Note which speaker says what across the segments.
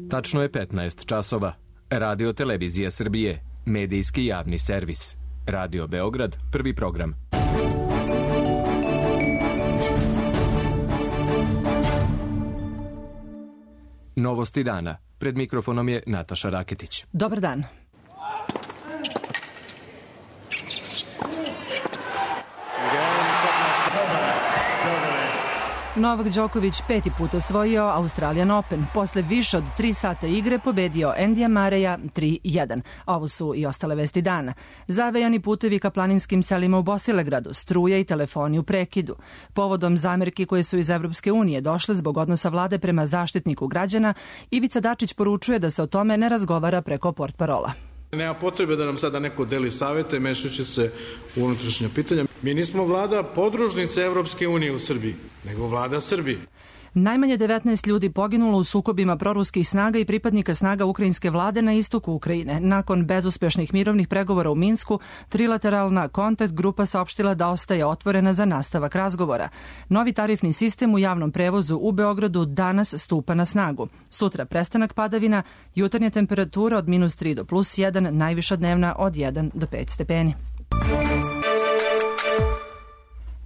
Speaker 1: Tačno je 15 časova. Radio Televizija Srbije, medijski javni servis. Radio Beograd, prvi program. Novosti dana. Pred mikrofonom je Nataša Raketić.
Speaker 2: Dobar dan. Novak Đoković 5. put osvojio Australian Open. Posle više od 3 sata igre pobedio Endija Mareja 3-1. Ovo su i ostale vesti dana. Zavejani putevi ka planinskim selima u Bosilegradu, struje i telefoni u prekidu. Povodom zamerki koje su iz Evropske unije došle zbog odnosa vlade prema zaštitniku građana, Ivica Dačić poručuje da se o tome ne razgovara preko portparola.
Speaker 3: Nema potrebe da nam sada neko deli savete, mešajući se u unutrašnja pitanja. Mi nismo vlada podružnice Evropske unije u Srbiji, nego vlada Srbije.
Speaker 2: Najmanje 19 ljudi poginulo u sukobima proruskih snaga i pripadnika snaga ukrajinske vlade na istoku Ukrajine. Nakon bezuspešnih mirovnih pregovora u Minsku, trilateralna kontakt grupa saopštila da ostaje otvorena za nastavak razgovora. Novi tarifni sistem u javnom prevozu u Beogradu danas stupa na snagu. Sutra prestanak padavina, jutarnja temperatura od -3 do +1, najviša dnevna od 1 do 5 stepeni.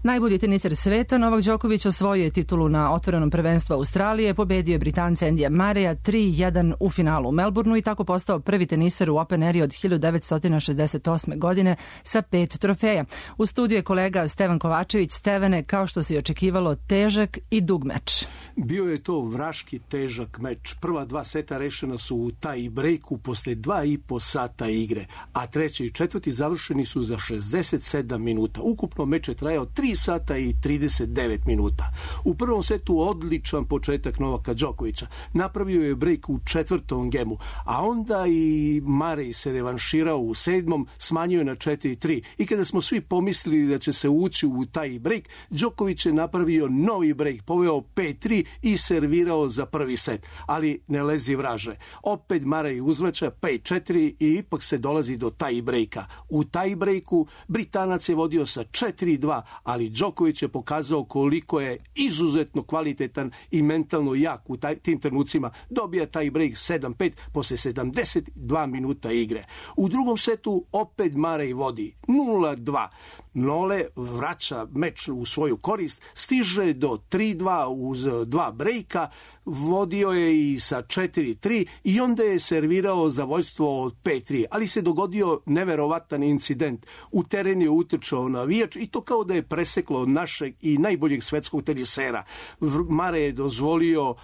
Speaker 2: Najbolji teniser sveta, Novak Đoković osvojio je titulu na otvorenom prvenstvu Australije, pobedio je Britanca Endija Mareja 3-1 u finalu u Melbourneu i tako postao prvi teniser u Open eri od 1968. godine sa 5 trofeja. U studiju je kolega Stevan Kovačević. Stevane, kao što se i očekivalo, težak i dug meč.
Speaker 4: Bio je to vraški težak meč. Prva 2 seta rešena su u taj breaku posle 2,5 sata igre, a treći i četvrti završeni su za 67 minuta. Ukupno meč je trajao 3 sata i 39 minuta. U prvom setu odličan početak Novaka Đokovića. Napravio je break u 4. gemu, a onda i Marej se revanširao u 7. smanjio na 4-3. I kada smo svi pomislili da će se ući u taj break, Đoković je napravio novi break, poveo 5-3 i servirao za prvi set. Ali ne lezi vraže. Opet Marej uzvraća 5-4 i ipak se dolazi do taj breaka. U taj breaku Britanac je vodio sa 4-2, ali Đoković je pokazao koliko je izuzetno kvalitetan i mentalno jak u tim trenucima. Dobija taj break 7-5 posle 72 minuta igre. U drugom setu opet Marej vodi 0-2. Nole vraća meč u svoju korist, stiže do 3-2 uz 2 brejka, vodio je i sa 4-3 i onda je servirao za vođstvo od 5-3, ali se dogodio neverovatan incident. U teren je utrčao navijač i to kao da je preseklo od našeg i najboljeg svetskog tenisera. Marej je dozvolio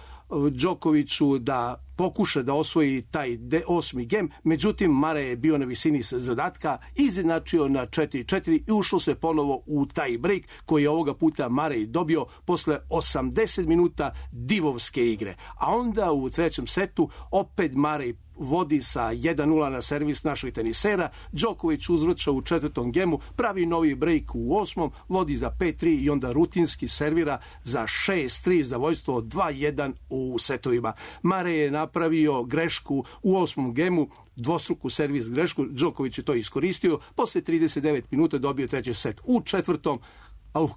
Speaker 4: Đokoviću da pokuša da osvoji taj 8. gem, međutim Marej je bio na visini zadatka, izjednačio na 4-4 i ušlo se ponovo u taj break koji je ovoga puta Marej dobio posle 80 minuta divovske igre. A onda u trećem setu opet Marej vodi sa 1-0 na servis naših tenisera, Đoković uzvraća u 4. gemu, pravi novi break u 8. vodi za 5-3 i onda rutinski servira za 6-3 za vođstvo od 2-1 u setovima. Marej je napravio grešku u 8. gemu, dvostruku servis grešku, Đoković je to iskoristio, posle 39 minuta dobio treći set. U 4.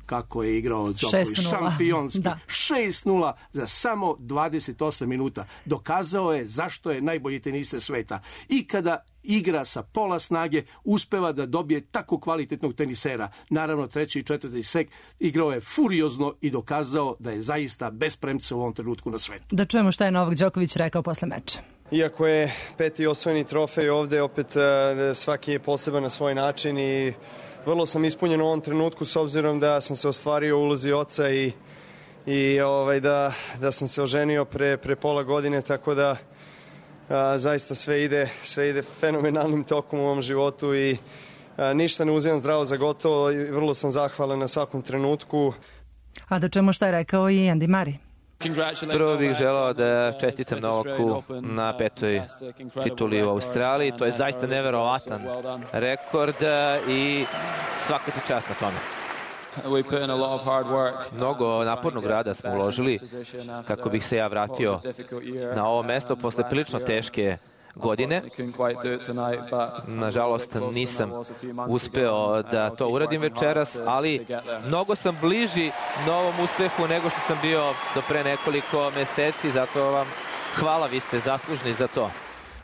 Speaker 4: kako je igrao Đoković, šampionski. 6-0 za samo 28 minuta. Dokazao je zašto je najbolji teniser sveta. I kada igra sa pola snage, uspeva da dobije tako kvalitetnog tenisera. Naravno, 3. i 4. set igrao je furiozno i dokazao da je zaista bez premca u ovom trenutku na svetu.
Speaker 2: Da čujemo šta je Novak Đoković rekao posle meča.
Speaker 5: Iako je 5. osvojeni trofej ovde, opet svaki je poseban na svoj način i vrlo sam ispunjen u ovom trenutku s obzirom da sam se ostvario u ulozi oca i da sam se oženio pre pola godine, tako da zaista sve ide fenomenalnim tokom u ovom životu i ništa ne uzimam zdravo za gotovo i vrlo sam zahvalan na svakom trenutku.
Speaker 2: A da čujemo šta je rekao i Andy Murray.
Speaker 6: Prvo bih želao da čestitam Novaku na 5. tituli u Australiji. To je zaista neverovatan rekord i svaka ti čast na tome. Mnogo napornog rada smo uložili kako bih se ja vratio na ovo mesto posle prilično teške godine. Nažalost, nisam uspeo da to uradim večeras, ali mnogo sam bliži novom uspehu nego što sam bio do pre nekoliko meseci, zato vam hvala, vi ste zaslužni za to.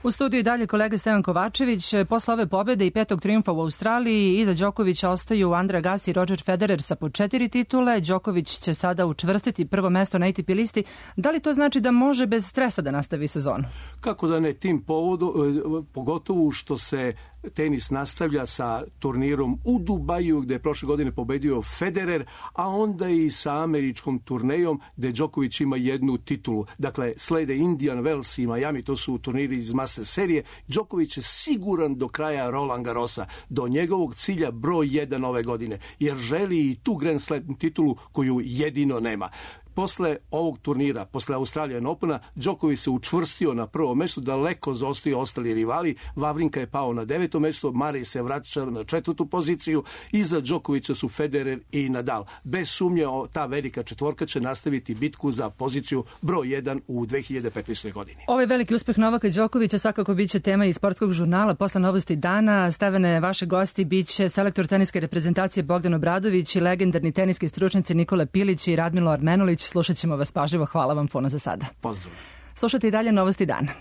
Speaker 2: U studiju i dalje kolega Stevan Kovačević. Posle ove pobede i 5. trijumfa u Australiji, iza Đokovića ostaju Andre Agassi i Roger Federer sa po 4 titule. Đoković će sada učvrstiti prvo mesto na ATP listi. Da li to znači da može bez stresa da nastavi sezonu?
Speaker 4: Kako da ne, tim povodom, pogotovo što se tenis nastavlja sa turnirom u Dubaju, gde je prošle godine pobedio Federer, a onda i sa američkom turnejom, gde Đoković ima jednu titulu. Dakle, slede Indian Wells i Miami, to su turniri iz Master serije. Đoković je siguran do kraja Roland Garrosa, do njegovog cilja broj 1 ove godine, jer želi i tu Grand Slam titulu koju jedino nema. Posle ovog turnira, posle Australian Opena, Đoković se učvrstio na prvo mesto, daleko zaostaju ostali rivali. Vavrinka je pao na 9. mesto, Marej se vraća na 4. poziciju, iza Đokovića su Federer i Nadal. Bez sumnje, ta velika četvorka će nastaviti bitku za poziciju broj 1 u 2015. godini.
Speaker 2: Ovaj veliki uspeh Novaka Đokovića svakako biće tema i sportskog žurnala posle novosti dana. Stevane, vaše gosti biće selektor teniske reprezentacije Bogdan Obradović i legendarni teniski stručnjaci Nikola Pilić i Radmilo Armenulić. Slušat ćemo vas pažljivo. Hvala vam puno za sada.
Speaker 4: Pozdrav.
Speaker 2: Slušajte i dalje novosti dana.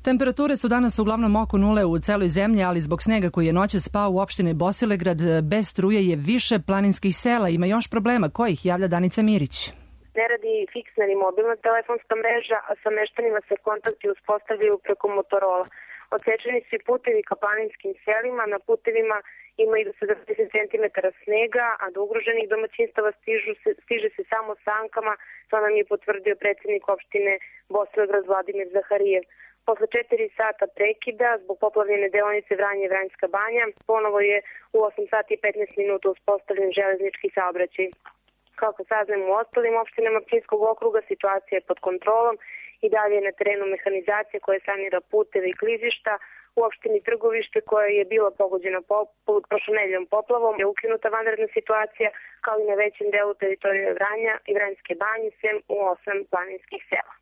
Speaker 2: Temperature su danas uglavnom oko nule u celoj zemlji, ali zbog snega koji je noćas spao u opštini Bosilegrad, bez struje je više planinskih sela. Ima još problema. Kojih javlja Danica Mirić?
Speaker 7: Ne radi fiksna ni mobilna telefonska mreža, a sa meštanima se kontakti uspostavljaju preko Motorola. Odsečeni su i putevi ka planinskim selima, na putevima ima i do 70 cm snega, a do ugroženih domaćinstava stiže se samo sankama, to nam je potvrdio predsjednik opštine Bosilegrad Vladimir Zaharijev. Posle 4 sata prekida, zbog poplavljene deonice Vranje-Vranjska banja, ponovo je u 8 sati i 15 minuta uspostavljen železnički saobraćaj. Kako saznamo u ostalim opštinama Pčinjskog okruga, situacija je pod kontrolom i dalje je na terenu mehanizacija koja sanira puteve i klizišta. U opštini Trgovište, koja je bila pogođena prošlonedeljom poplavom, je ukinuta vanredna situacija, kao i na većem delu teritorije Vranja i Vranjske banje, sem u 8 planinskih sela.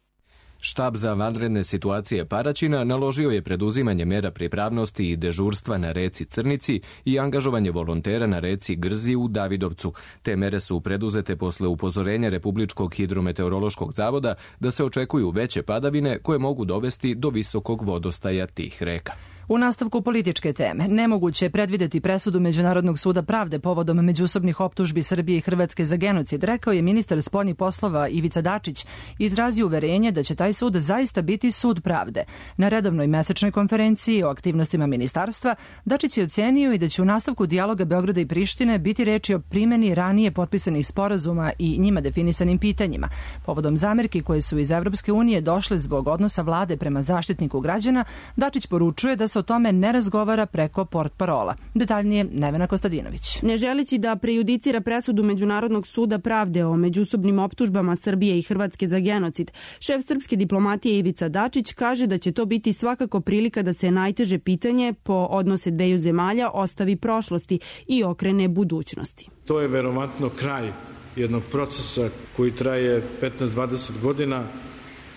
Speaker 1: Štab za vanredne situacije Paraćina naložio je preduzimanje mera pripravnosti i dežurstva na reci Crnici i angažovanje volontera na reci Grzi u Davidovcu. Te mere su preduzete posle upozorenja Republičkog hidrometeorološkog zavoda da se očekuju veće padavine koje mogu dovesti do visokog vodostaja tih reka.
Speaker 2: U nastavku političke teme, nemoguće je predvideti presudu Međunarodnog suda pravde povodom međusobnih optužbi Srbije i Hrvatske za genocid, rekao je ministar spoljnih poslova Ivica Dačić. Izrazio uverenje da će taj sud zaista biti sud pravde. Na redovnoj mesečnoj konferenciji o aktivnostima ministarstva, Dačić je ocenio i da će u nastavku dijaloga Beograda i Prištine biti reči o primeni ranije potpisanih sporazuma i njima definisanim pitanjima. Povodom zamerki koje su iz Evropske unije došle zbog odnosa vlade prema zaštitniku građana, Dačić poručuje da se o tome ne razgovara preko portparola. Detaljnije Nevena Kostadinović.
Speaker 8: Ne želeći da prejudicira presudu Međunarodnog suda pravde o međusobnim optužbama Srbije i Hrvatske za genocid, šef srpske diplomatije Ivica Dačić kaže da će to biti svakako prilika da se najteže pitanje po odnose dveju zemalja ostavi prošlosti i okrene budućnosti.
Speaker 3: To je verovatno kraj jednog procesa koji traje 15-20 godina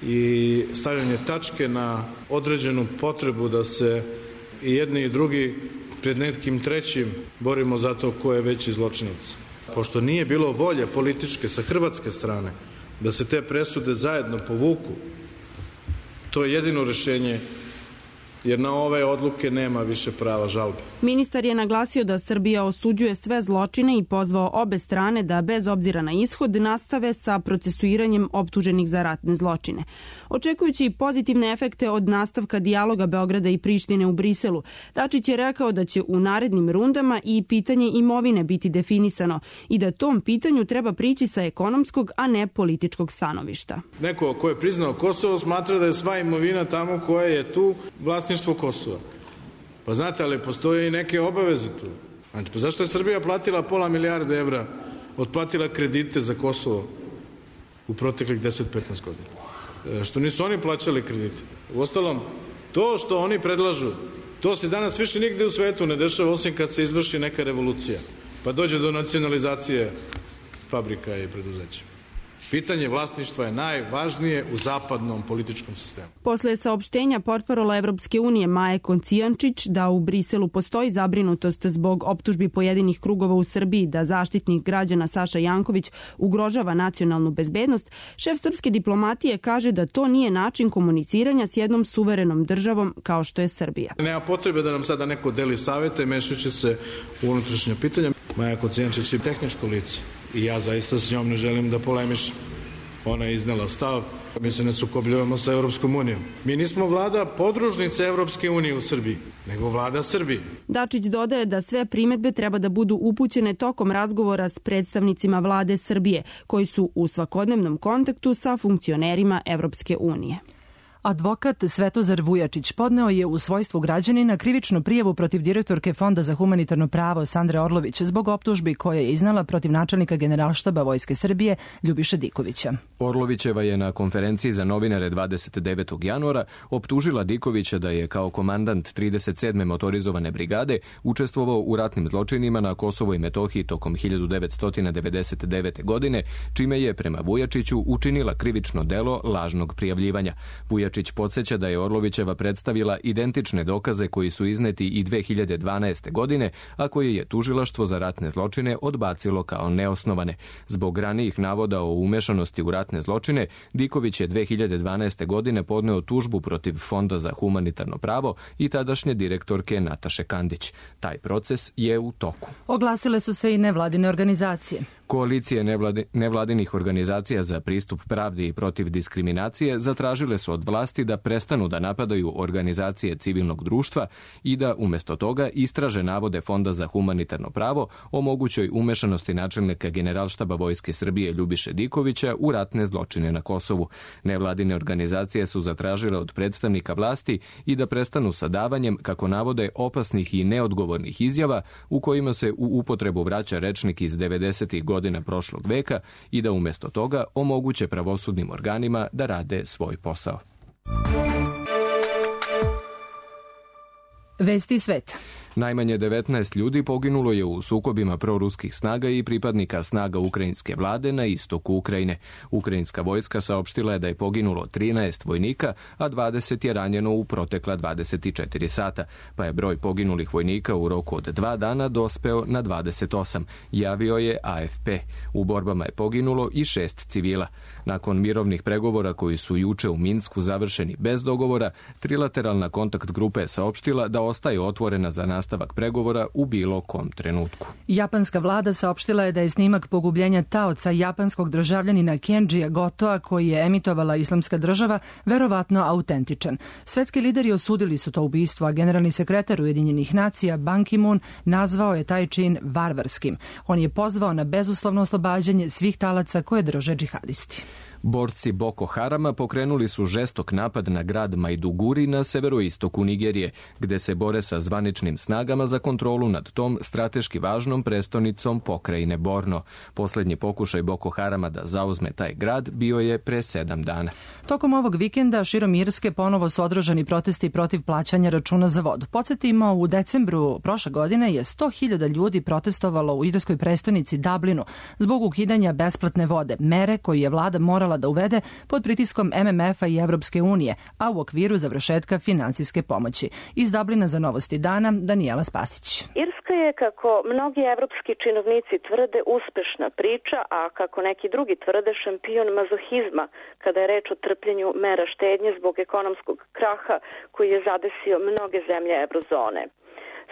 Speaker 3: i stavljanje tačke na određenu potrebu da se i jedni i drugi pred nekim trećim borimo za to ko je veći zločinac. Pošto nije bilo volje političke sa hrvatske strane da se te presude zajedno povuku, to je jedino rešenje, jer na ove odluke nema više prava žalbe.
Speaker 8: Ministar je naglasio da Srbija osuđuje sve zločine i pozvao obe strane da bez obzira na ishod nastave sa procesuiranjem optuženih za ratne zločine. Očekujući pozitivne efekte od nastavka dijaloga Beograda i Prištine u Briselu, Dačić je rekao da će u narednim rundama i pitanje imovine biti definisano i da tom pitanju treba prići sa ekonomskog, a ne političkog stanovišta.
Speaker 3: Neko ko je priznao Kosovo smatra da je sva imovina tamo koja je tu vlasništvo Kosova. Pa znate, ali postoje i neke obaveze tu. Znači, pa zašto je Srbija platila $500 milijarde evra, otplatila kredite za Kosovo u proteklih 10-15 godina? Što nisu oni plaćali kredite? Uostalom, to što oni predlažu, to se danas više nigde u svetu ne dešava, osim kad se izvrši neka revolucija, pa dođe do nacionalizacije fabrika i preduzeća. Pitanje vlasništva je najvažnije u zapadnom političkom sistemu.
Speaker 8: Posle saopštenja portparola Evropske unije Maje Kocijančić da u Briselu postoji zabrinutost zbog optužbi pojedinih krugova u Srbiji da zaštitnik građana Saša Janković ugrožava nacionalnu bezbednost, šef srpske diplomatije kaže da to nije način komuniciranja s jednom suverenom državom kao što je Srbija.
Speaker 3: Nema potrebe da nam sada neko deli savete, mešajući se u unutrašnja pitanja. Maja Kocijančić je tehničko lice i ja zaista s njom ne želim da polemišem. Ona je iznela stav, mi se ne sukobljavamo sa Evropskom unijom. Mi nismo vlada podružnice Evropske unije u Srbiji, nego vlada Srbije.
Speaker 8: Dačić dodaje da sve primedbe treba da budu upućene tokom razgovora s predstavnicima vlade Srbije, koji su u svakodnevnom kontaktu sa funkcionerima Evropske unije.
Speaker 2: Advokat Svetozar Vujačić podneo je u svojstvu građanina krivičnu prijavu protiv direktorke Fonda za humanitarno pravo Sandre Orlović zbog optužbi koje je iznala protiv načelnika Generalštaba Vojske Srbije Ljubiše Dikovića.
Speaker 1: Orlovićeva je na konferenciji za novinare 29. januara optužila Dikovića da je kao komandant 37. motorizovane brigade učestvovao u ratnim zločinima na Kosovo i Metohiji tokom 1999. godine, čime je prema Vujačiću učinila krivično delo lažnog prijavljivanja. Vujačić podsjeća da je Orlovićeva predstavila identične dokaze koji su izneti i 2012. godine, a koje je tužilaštvo za ratne zločine odbacilo kao neosnovane. Zbog ranijih navoda o umešanosti u ratne zločine, Diković je 2012. godine podneo tužbu protiv Fonda za humanitarno pravo i tadašnje direktorke Nataše Kandić. Taj proces je u toku.
Speaker 2: Oglasile su se i nevladine organizacije.
Speaker 1: Koalicije nevladinih organizacija za pristup pravdi i protiv diskriminacije zatražile su od vlasti da prestanu da napadaju organizacije civilnog društva i da umjesto toga istraže navode Fonda za humanitarno pravo o mogućoj umešanosti načelnika Generalštaba Vojske Srbije Ljubiše Dikovića u ratne zločine na Kosovu. Nevladine organizacije su zatražile od predstavnika vlasti i da prestanu sa davanjem, kako navode, opasnih i neodgovornih izjava u kojima se u upotrebu vraća rečnik iz 90. godina prošlog veka i da umjesto toga omoguće pravosudnim organima da rade svoj posao.
Speaker 2: Vesti sveta.
Speaker 1: Najmanje 19 ljudi poginulo je u sukobima proruskih snaga i pripadnika snaga ukrajinske vlade na istoku Ukrajine. Ukrajinska vojska saopštila je da je poginulo 13 vojnika, a 20 je ranjeno u protekla 24 sata, pa je broj poginulih vojnika u roku od 2 dana dospeo na 28, javio je AFP. U borbama je poginulo i 6 civila. Nakon mirovnih pregovora koji su juče u Minsku završeni bez dogovora, trilateralna kontakt grupa je saopštila da ostaje otvorena za nastavak pregovora u bilo kom trenutku.
Speaker 2: Japanska vlada saopštila je da je snimak pogubljenja taoca japanskog državljanina Kenjija Gotoa, koji je emitovala Islamska država, verovatno autentičan. Svetski lideri osudili su to ubistvo, a generalni sekretar Ujedinjenih nacija Ban Ki-moon nazvao je taj čin varvarskim. On je pozvao na bezuslovno oslobađanje svih talaca koje drže džihadisti.
Speaker 1: Borci Boko Harama pokrenuli su žestok napad na grad Maiduguri na severoistoku Nigerije, gde se bore sa zvaničnim snagama za kontrolu nad tom strateški važnom prestonicom pokrajine Borno. Posljednji pokušaj Boko Harama da zauzme taj grad bio je pre 7 dana.
Speaker 2: Tokom ovog vikenda širom Irske ponovo su održani protesti protiv plaćanja računa za vodu. Podsjetimo, u decembru prošle godine je 100.000 ljudi protestovalo u irskoj prestonici Dublinu zbog ukidanja besplatne vode, mere koju je vlada morala da uvede pod pritiskom MMF-a i Evropske unije, a u okviru završetka finansijske pomoći. Iz Dublina za Novosti dana, Danijela Spasić.
Speaker 9: Irska je, kako mnogi evropski činovnici tvrde, uspešna priča, a kako neki drugi tvrde, šampion mazohizma kada je reč o trpljenju mera štednje zbog ekonomskog kraha koji je zadesio mnoge zemlje eurozone.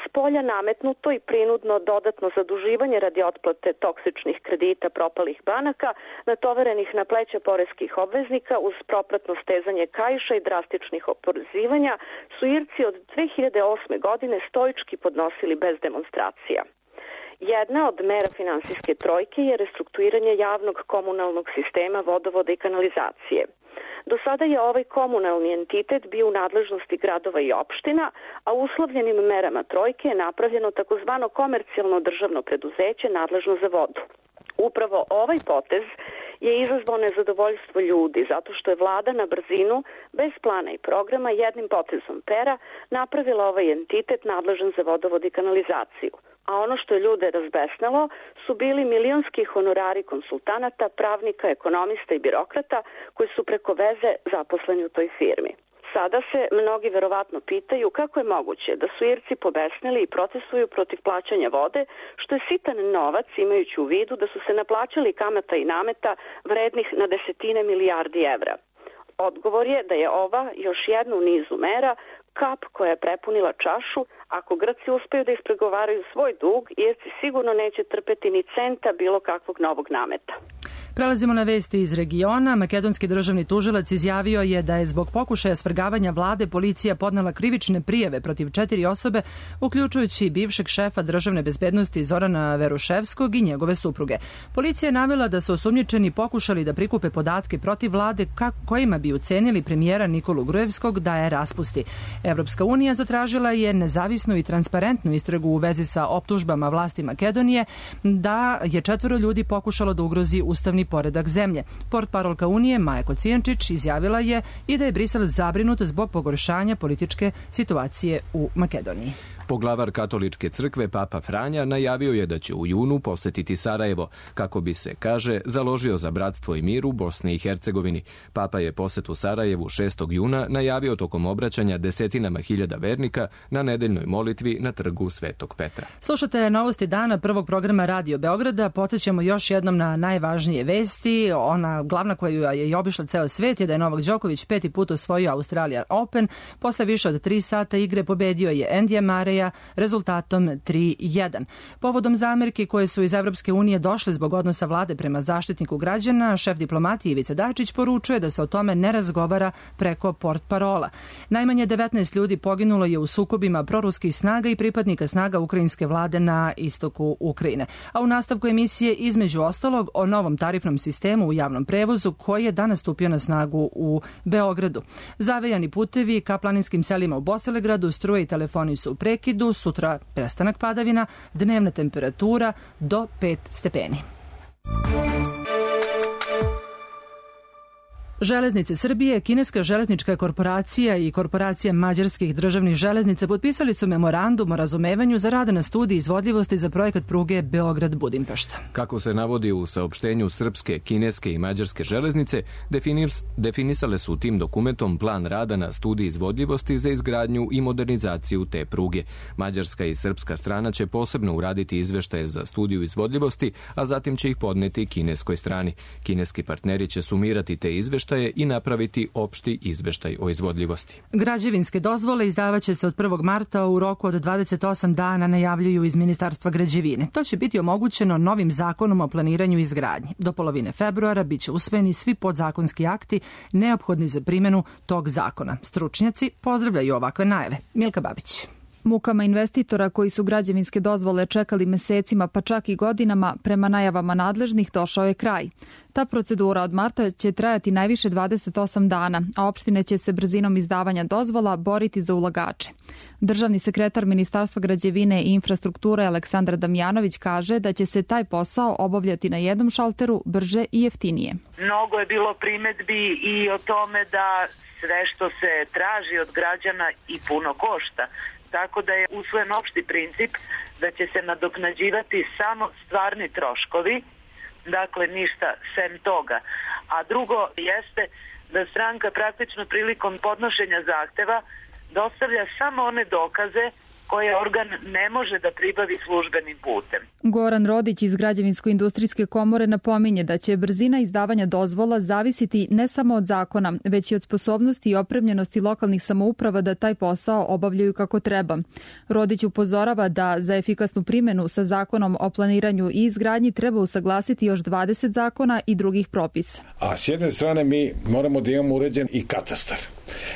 Speaker 9: S polja nametnuto i prinudno dodatno zaduživanje radi otplate toksičnih kredita propalih banaka, natoverenih na pleća poreskih obveznika uz propratno stezanje kaiša i drastičnih oporezivanja, su Irci od 2008. godine stoički podnosili bez demonstracija. Jedna od mera finansijske trojke je restrukturiranje javnog komunalnog sistema vodovoda i kanalizacije. Do sada je ovaj komunalni entitet bio u nadležnosti gradova i opština, a uslovljenim merama trojke je napravljeno takozvano komercijalno državno preduzeće nadležno za vodu. Upravo ovaj potez je izazvao nezadovoljstvo ljudi zato što je vlada na brzinu, bez plana i programa, jednim potezom pera napravila ovaj entitet nadležan za vodovod i kanalizaciju. a ono što je ljude razbesnalo su bili milionski honorari konsultanata, pravnika, ekonomista i birokrata koji su preko veze zaposleni u toj firmi. Sada se mnogi verovatno pitaju kako je moguće da su Irci pobesnili i protestuju protiv plaćanja vode, što je sitan novac imajući u vidu da su se naplaćali kamata i nameta vrednih na desetine milijardi evra. Odgovor je da je ova još jedna u nizu mera kap koja je prepunila čašu. Ako Grci uspeju da ispregovaraju svoj dug, Irci sigurno neće trpeti ni centa bilo kakvog novog nameta.
Speaker 2: Prelazimo na vesti iz regiona. Makedonski državni tužilac izjavio je da je zbog pokušaja svrgavanja vlade policija podnela krivične prijave protiv 4 osobe, uključujući bivšeg šefa državne bezbednosti Zorana Veruševskog i njegove supruge. Policija je navela da su osumnjičeni pokušali da prikupe podatke protiv vlade kojima bi ucenili premijera Nikolu Grujevskog da je raspusti. Evropska unija zatražila je nezavisnu i transparentnu istragu u vezi sa optužbama vlasti Makedonije da je 4 ljudi pokušalo da ugrozi ustavni poredak zemlje. Portparolka Unije Maja Kocijančić izjavila je i da je Brisel zabrinut zbog pogoršanja političke situacije u Makedoniji.
Speaker 1: Poglavar katoličke crkve Papa Franja najavio je da će u junu posetiti Sarajevo, kako bi se, kaže, založio za bratstvo i mir u Bosni i Hercegovini. Papa je posetu Sarajevu 6. juna najavio tokom obraćanja desetinama hiljada vernika na nedeljnoj molitvi na trgu Svetog Petra.
Speaker 2: Slušate novosti dana prvog programa Radio Beograda. Podsjećamo još jednom na najvažnije vesti. Ona glavna koju je i obišla ceo svet je da je Novak Đoković 5. put osvojio Australian Open. Posle više od 3 sata igre pobedio je Endija Mareja rezultatom 3-1. Povodom zamerki koje su iz Evropske unije došle zbog odnosa vlade prema zaštitniku građana, šef diplomatije Ivica Dačić poručuje da se o tome ne razgovara preko portparola. Najmanje 19 ljudi poginulo je u sukobima proruskih snaga i pripadnika snaga ukrajinske vlade na istoku Ukrajine. A u nastavku emisije između ostalog o novom tarifnom sistemu u javnom prevozu koji je danas stupio na snagu u Beogradu. Zavejani putevi ka planinskim selima u Bosilegradu, struje i telefoni su u prekidu, sutra prestanak padavina, dnevna temperatura do 5 stepeni. Železnice Srbije, kineska železnička korporacija i korporacija mađarskih državnih železnica potpisali su memorandum o razumevanju za rad na studiji izvodljivosti za projekat pruge Beograd-Budimpešta.
Speaker 1: Kako se navodi u saopštenju srpske, kineske i mađarske železnice, definisale su tim dokumentom plan rada na studiji izvodljivosti za izgradnju i modernizaciju te pruge. Mađarska i srpska strana će posebno uraditi izveštaje za studiju izvodljivosti, a zatim će ih podneti kineskoj strani. Kineski partneri će sumirati te izveštaje i napraviti opšti izveštaj o izvodljivosti.
Speaker 2: Građevinske dozvole izdavaće se od 1. marta u roku od 28 dana, najavljuju iz Ministarstva građevine. To će biti omogućeno novim zakonom o planiranju i izgradnji. Do polovine februara biće usvojeni svi podzakonski akti neophodni za primjenu tog zakona. Stručnjaci pozdravljaju ovakve najave. Milka Babić.
Speaker 10: Mukama investitora koji su građevinske dozvole čekali mesecima pa čak i godinama, prema najavama nadležnih došao je kraj. Ta procedura od marta će trajati najviše 28 dana, a opštine će se brzinom izdavanja dozvola boriti za ulagače. Državni sekretar Ministarstva građevine i infrastrukture Aleksandar Damjanović kaže da će se taj posao obavljati na jednom šalteru brže i jeftinije.
Speaker 11: Mnogo je bilo primedbi i o tome da sve što se traži od građana i puno košta. Tako da je usvojen opšti princip da će se nadoknađivati samo stvarni troškovi, dakle ništa sem toga. A drugo jeste da stranka praktično prilikom podnošenja zahteva dostavlja samo one dokaze koje organ ne može da pribavi službenim putem.
Speaker 10: Goran Rodić iz Građevinsko-industrijske komore napominje da će brzina izdavanja dozvola zavisiti ne samo od zakona, već i od sposobnosti i opremljenosti lokalnih samouprava da taj posao obavljaju kako treba. Rodić upozorava da za efikasnu primjenu sa zakonom o planiranju i izgradnji treba usaglasiti još 20 zakona i drugih propisa.
Speaker 12: A s jedne strane mi moramo da imamo uređen i katastar.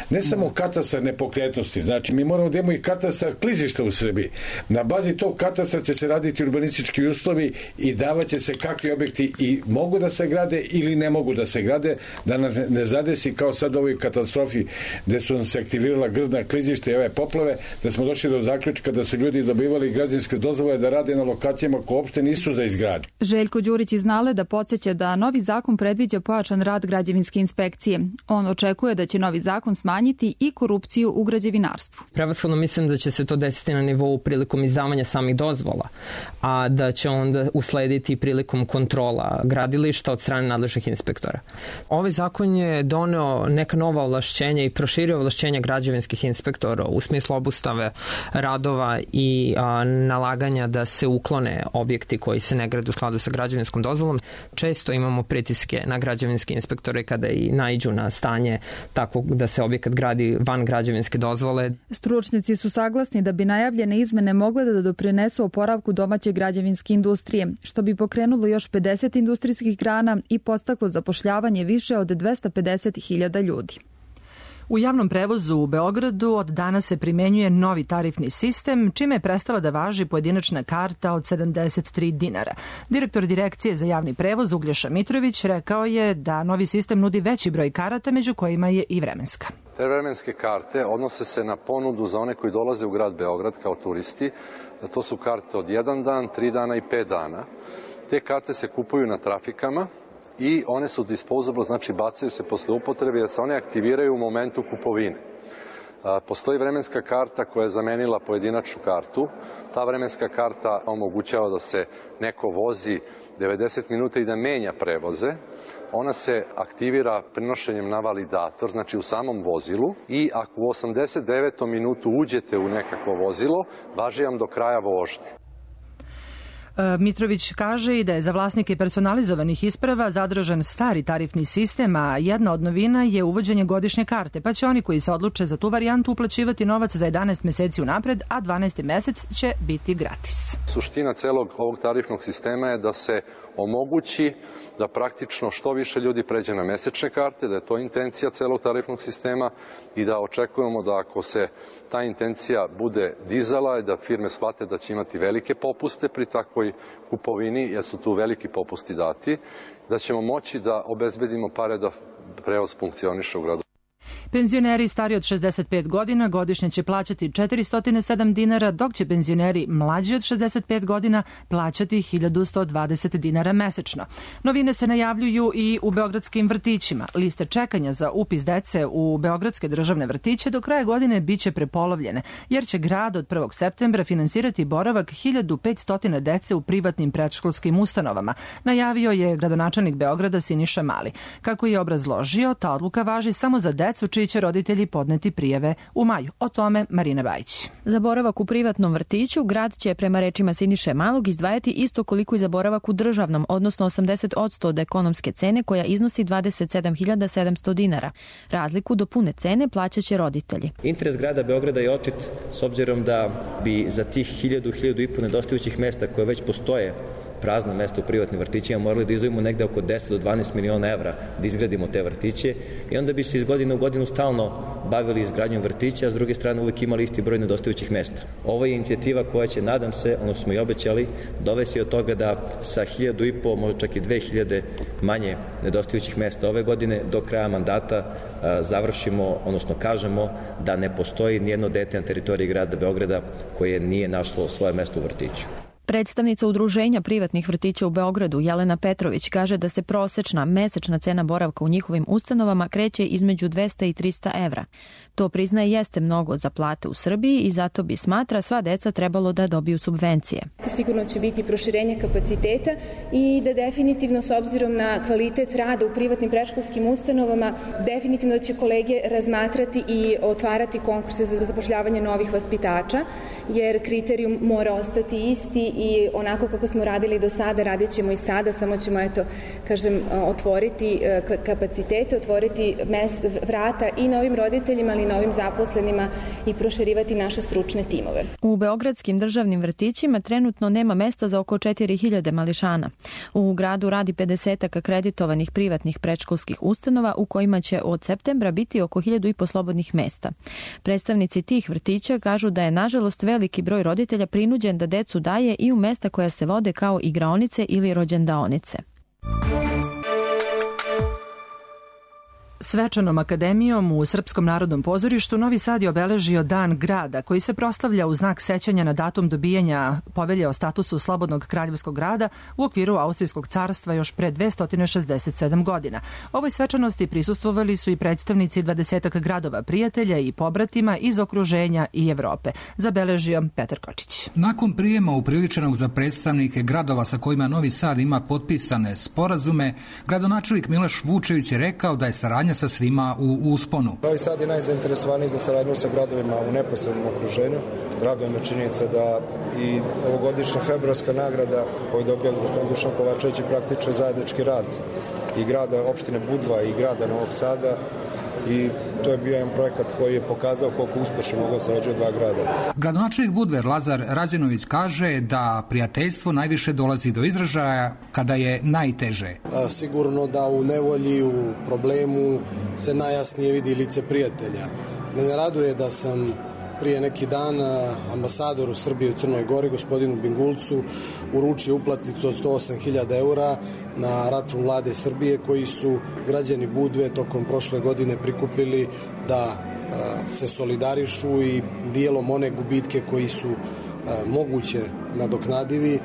Speaker 12: Ne samo katastar nepokretnosti, znači mi moramo da imamo i katastar klizišta u Srbiji. Na bazi tog katastra će se raditi urbanistički uslovi i davaće se kakvi objekti i mogu da se grade ili ne mogu da se grade, da ne zadesi kao sad u ovoj katastrofi gde su nam se aktivirala grdna klizišta i ove poplave, da smo došli do zaključka da su ljudi dobivali građevinske dozvole da rade na lokacijama koje uopšte nisu za izgradnju.
Speaker 10: Željko Đurić iz Naleda podsjeća da novi zakon predviđa pojačan rad građevinske inspekcije. On očekuje da će novi zakon zakon smanjiti i korupciju u građevinarstvu.
Speaker 13: Prevashodno mislim da će se to desiti na nivou prilikom izdavanja samih dozvola, a da će onda uslediti prilikom kontrola gradilišta od strane nadležnih inspektora. Ovaj zakon je doneo neka nova ovlašćenja i proširio ovlašćenja građevinskih inspektora u smislu obustave radova i nalaganja da se uklone objekti koji se ne grade u skladu sa građevinskom dozvolom. Često imamo pritiske na građevinske inspektore kada i naiđu na stanje tako da se objekat gradi van građevinske dozvole.
Speaker 10: Stručnjaci su saglasni da bi najavljene izmene mogle da doprinesu oporavku domaće građevinske industrije, što bi pokrenulo još 50 industrijskih grana i podstaklo zapošljavanje više od 250.000 ljudi.
Speaker 2: U javnom prevozu u Beogradu od danas se primenjuje novi tarifni sistem, čime je prestala da važi pojedinačna karta od 73 dinara. Direktor Direkcije za javni prevoz Uglješa Mitrović rekao je da novi sistem nudi veći broj karata, među kojima je i vremenska.
Speaker 14: Te vremenske karte odnose se na ponudu za one koji dolaze u grad Beograd kao turisti. To su karte od 1 dan, 3 dana i 5 dana. Te karte se kupuju na trafikama i one su disposable, znači bacaju se posle upotrebe jer se one aktiviraju u momentu kupovine. Postoji vremenska karta koja je zamenila pojedinačnu kartu. Ta vremenska karta omogućava da se neko vozi 90 minuta i da menja prevoze. Ona se aktivira prenošenjem na validator, znači u samom vozilu, i ako u 89. minutu uđete u nekakvo vozilo, važi vam do kraja vožnje.
Speaker 2: Mitrović kaže i da je za vlasnike personalizovanih isprava zadržan stari tarifni sistem, a jedna od novina je uvođenje godišnje karte, pa će oni koji se odluče za tu varijantu uplaćivati novac za 11 meseci unapred, a 12. mesec će biti gratis.
Speaker 14: Suština celog ovog tarifnog sistema je da se omogući da praktično što više ljudi pređe na mesečne karte, da je to intencija celog tarifnog sistema i da očekujemo da ako se ta intencija bude dizala i da firme shvate da će imati velike popuste pri takvoj kupovini, jer su tu veliki popusti dati, da ćemo moći da obezbedimo pare da prevoz funkcioniše u gradu.
Speaker 2: Penzioneri stari od 65 godina godišnje će plaćati 407 dinara, dok će penzioneri mlađi od 65 godina plaćati 1120 dinara mesečno. Novine se najavljuju i u beogradskim vrtićima. Liste čekanja za upis dece u beogradske državne vrtiće do kraja godine biće prepolovljene, jer će grad od 1. septembra finansirati boravak 1500 dece u privatnim predškolskim ustanovama, najavio je gradonačelnik Beograda Siniša Mali. Kako je obrazložio, ta odluka važi samo za decu čiji će roditelji podneti prijave u maju. O tome Marina Bajić.
Speaker 15: Za boravak u privatnom vrtiću grad će prema rečima Siniše Malog izdvajati isto koliko i za boravak u državnom, odnosno 80% od ekonomske cene koja iznosi 27.700 dinara. Razliku do pune cene plaćaće roditelji.
Speaker 16: Interes grada Beograda je očit s obzirom da bi za tih 1.000-1.500 nedostajućih mesta koje već postoje prazna mesta u privatnim vrtićima morali da izdvojimo negde oko 10 do 12 miliona evra da izgradimo te vrtiće i onda bi se iz godine u godinu stalno bavili izgradnjom vrtića, a s druge strane uvek imali isti broj nedostajućih mesta. Ovo je inicijativa koja će, nadam se, ono što smo i obećali, dovesti od toga da sa 1.500, možda čak i 2.000 manje nedostajućih mesta ove godine do kraja mandata završimo, odnosno kažemo da ne postoji nijedno dete na teritoriji grada Beograda koje nije našlo svoje mesto u vrtiću.
Speaker 15: Predstavnica Udruženja privatnih vrtića u Beogradu, Jelena Petrović, kaže da se prosečna mesečna cena boravka u njihovim ustanovama kreće između 200 i 300 evra. To priznaje jeste mnogo za plate u Srbiji i zato bi, smatra, sva deca trebalo da dobiju subvencije.
Speaker 17: Sigurno će biti proširenje kapaciteta i da definitivno s obzirom na kvalitet rada u privatnim predškolskim ustanovama definitivno će kolege razmatrati i otvarati konkurse za zapošljavanje novih vaspitača, jer kriterijum mora ostati isti i onako kako smo radili do sada, radit ćemo i sada, samo ćemo, otvoriti kapacitete, otvoriti vrata i novim roditeljima, ali i novim zaposlenima i proširivati naše stručne timove.
Speaker 15: U beogradskim državnim vrtićima trenutno nema mesta za oko 4.000 mališana. U gradu radi 50 akreditovanih privatnih predškolskih ustanova u kojima će od septembra biti oko 1.500 slobodnih mesta. Predstavnici tih vrtića kažu da je nažalost veliki broj roditelja prinuđen da decu daje i u mesta koja se vode kao igraonice ili rođendaonice.
Speaker 2: Svečanom akademijom u Srpskom narodnom pozorištu Novi Sad je obeležio Dan grada, koji se proslavlja u znak sećanja na datum dobijanja povelje o statusu slobodnog kraljevskog grada u okviru Austrijskog carstva još pre 267 godina. Ovoj svečanosti prisustvovali su i predstavnici 20 gradova prijatelja i pobratima iz okruženja i Evrope, zabeležio Petar Kočić.
Speaker 18: Nakon prijema upriličenog za predstavnike gradova sa kojima Novi Sad ima potpisane sporazume, gradonačelnik Miloš Vučević je rekao da je saradnja sa svima u usponu.
Speaker 19: Novi Sad je najzainteresovaniji za saradnju sa gradovima u neposrednom okruženju. Raduje me činjenica da i ovogodišnja februarska nagrada koju dobija gospodin Dušan Kovačević je praktično zajednički rad i grada opštine Budva i grada Novog Sada, i to je bio jedan projekat koji je pokazao koliko uspešno mogu sarađuju dva grada.
Speaker 18: Gradonačelnik Budve Lazar Razinović kaže da prijateljstvo najviše dolazi do izražaja kada je najteže.
Speaker 20: Sigurno da u nevolji, u problemu se najjasnije vidi lice prijatelja. Mene raduje da sam prije neki dan ambasadoru Srbije u Crnoj Gori, gospodinu Bingulcu, uručio uplatnicu od 108.000 eura na račun vlade Srbije, koji su građani Budve tokom prošle godine prikupili da se solidarišu i dijelom one gubitke koji su moguće nadoknadivi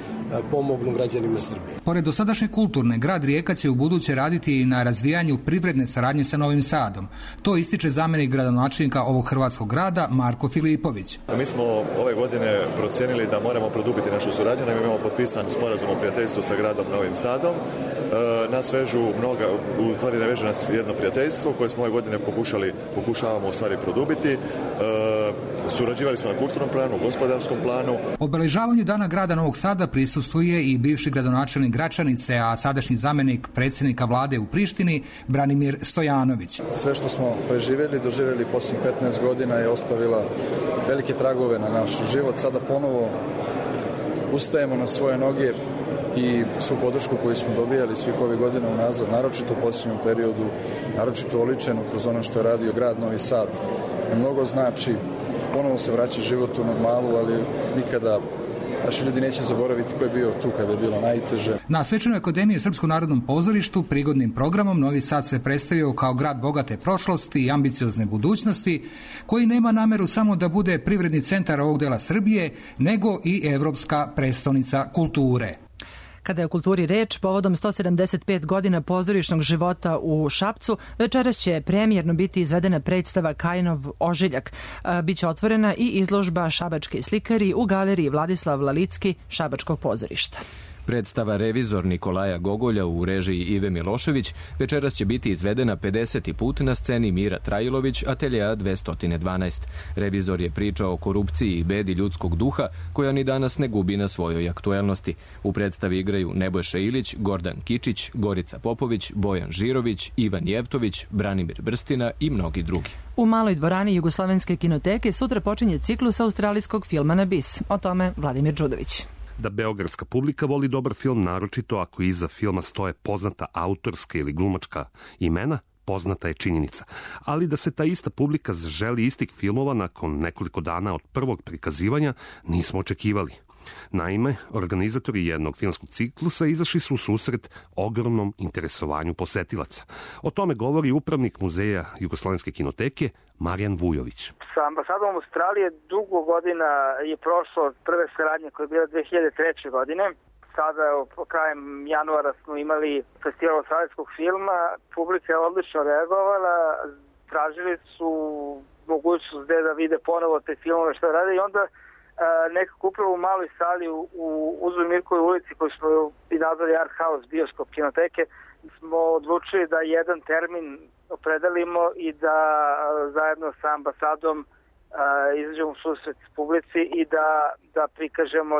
Speaker 20: pomognu građanima Srbije.
Speaker 18: Pored dosadašnje kulturne, grad Rijeka će u buduće raditi i na razvijanju privredne saradnje sa Novim Sadom. To ističe zamenik gradonačelnika ovog hrvatskog grada Marko Filipović.
Speaker 21: Mi smo ove godine procijenili da moramo produbiti našu suradnju, nam imamo potpisan sporazum o prijateljstvu sa gradom Novim Sadom. Nas vežu mnoga, u stvari ne veže nas jedno prijateljstvo koje smo ove godine pokušavamo u stvari produbiti. Surađivali smo na kulturnom planu, gospodarskom planu.
Speaker 18: Obeležavanju Dana grada Novog Sada prisustvuje i bivši gradonačelnik Gračanice, a sadašnji zamenik predsjednika vlade u Prištini Branimir Stojanović.
Speaker 22: Sve što smo preživjeli, doživjeli posljednjih 15 godina je ostavila velike tragove na naš život. Sada ponovo ustajemo na svoje noge i svu podršku koju smo dobijali svih ovih godina unazad, naročito u posljednjem periodu, naročito oličeno kroz ono što je radio grad Novi Sad. Mnogo znači, ponovo se vraća život u normalu, ali nikada naši ljudi neće zaboraviti ko je bio tu kada je bilo najteže.
Speaker 18: Na Svečanoj akademiji u Srpskom narodnom pozorištu prigodnim programom Novi Sad se predstavio kao grad bogate prošlosti i ambiciozne budućnosti, koji nema nameru samo da bude privredni centar ovog dela Srbije, nego i evropska prestonica kulture.
Speaker 2: Kada je o kulturi reč, povodom 175 godina pozorišnog života u Šapcu, večeras će premijerno biti izvedena predstava Kajinov ožiljak. Biće otvorena i izložba Šabački slikari u galeriji Vladislav Lalicki Šabačkog pozorišta.
Speaker 1: Predstava Revizor Nikolaja Gogolja u režiji Ive Milošević večeras će biti izvedena 50. put na sceni Mira Trajilović, ateljea 212. Revizor je priča o korupciji i bedi ljudskog duha koja ni danas ne gubi na svojoj aktuelnosti. U predstavi igraju Nebojša Ilić, Gordan Kičić, Gorica Popović, Bojan Žirović, Ivan Jevtović, Branimir Brstina i mnogi drugi.
Speaker 2: U maloj dvorani Jugoslovenske kinoteke sutra počinje ciklus australijskog filma Na bis. O tome Vladimir Đudović.
Speaker 23: Da beogradska publika voli dobar film, naročito ako iza filma stoje poznata autorska ili glumačka imena, poznata je činjenica. Ali da se ta ista publika želi istih filmova nakon nekoliko dana od prvog prikazivanja nismo očekivali. Naime, organizatori jednog filmskog ciklusa izašli su u susret ogromnom interesovanju posetilaca. O tome govori upravnik muzeja Jugoslovenske kinoteke Marijan Vujović.
Speaker 24: Sa ambasadom Australije dugo godina je prošlo od prve saradnje koja je bila 2003. godine. Sada krajem januara smo imali festival australijskog filma. Publika je odlično reagovala, tražili su mogućnost da vide ponovo te filmove što rade i onda nekako upravo u maloj sali u Uzu Mirkovoj ulici koju smo i nazvali Art House, bioskop kinoteke, smo odlučili da jedan termin opredelimo i da zajedno sa ambasadom izađemo u susret publici i da prikažemo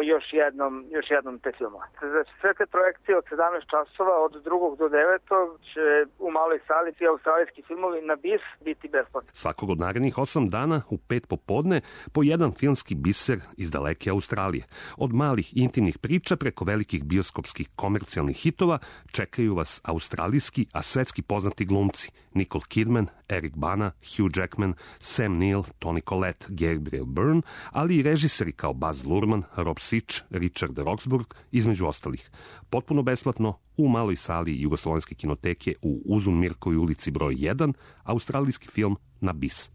Speaker 24: još jednom te filmove. Znači, sve te projekcije od 17 časova od 2. do 9. će u maloj sali ti australijski filmovi Na bis biti besplatni.
Speaker 23: Svakog od narednih 8 dana u 5 popodne po jedan filmski biser iz daleke Australije. Od malih intimnih priča preko velikih bioskopskih komercijalnih hitova čekaju vas australijski, a svetski poznati glumci Nicole Kidman, Eric Bana, Hugh Jackman, Sam Neill, Toni Collette, Gabriel Byrne, ali i režiseri kao Baz Baz Luhrmann, Rob Sitch, Richard Roxburgh, između ostalih. Potpuno besplatno u maloj sali Jugoslovenske kinoteke u Uzun Mirkovoj ulici broj 1, australijski film Na bis.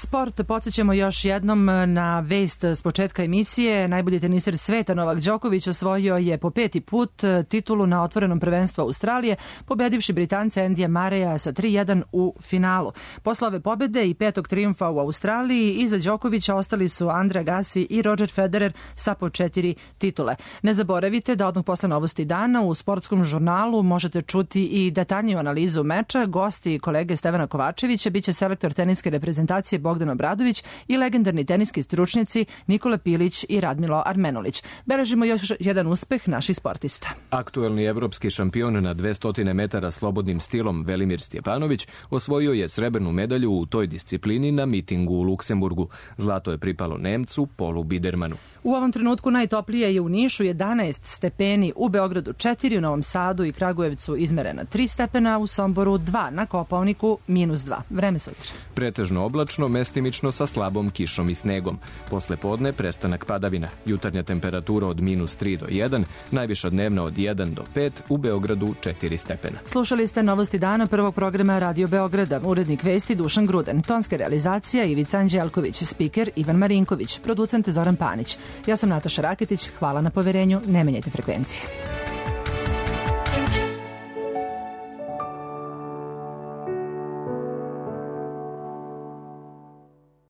Speaker 2: Sport, podsjećamo još jednom na vest s početka emisije. Najbolji teniser sveta Novak Đoković osvojio je po 5. put titulu na otvorenom prvenstvu Australije, pobedivši Britanca Andyja Murraya sa 3-1 u finalu. Posle ove pobede i 5. trijumfa u Australiji, iza Đokovića ostali su Andre Agassi i Roger Federer sa po 4 titule. Ne zaboravite da odmah posle novosti dana u sportskom žurnalu možete čuti i detaljniju analizu meča. Gosti kolege Stevana Kovačevića biće selektor teniske reprezentacije Bogdan Obradović i legendarni teniski stručnjaci Nikola Pilić i Radmilo Armenulić. Beležimo još jedan uspeh naših sportista.
Speaker 1: Aktuelni evropski šampion na 200 metara slobodnim stilom Velimir Stjepanović osvojio je srebrnu medalju u toj disciplini na mitingu u Luksemburgu. Zlato je pripalo Nemcu Polu Bidermanu.
Speaker 2: U ovom trenutku najtoplije je u Nišu 11 stepeni, u Beogradu 4, u Novom Sadu i Kragujevcu izmerena 3 stepena, u Somboru 2, na Kopaoniku -2. Vreme sutra.
Speaker 1: Pretežno oblačno, mestimično sa slabom kišom i snegom. Posle podne prestanak padavina. Jutarnja temperatura od -3 do 1, najviša dnevna od 1 do 5, u Beogradu 4 stepena.
Speaker 2: Slušali ste novosti dana prvog programa Radio Beograda. Urednik vesti Dušan Gruden, tonska realizacija Ivica Anđelković, spiker Ivan Marinković, producent Zoran Panić. Ja sam Nataša Raketić, hvala na poverenju, ne menjajte frekvencije.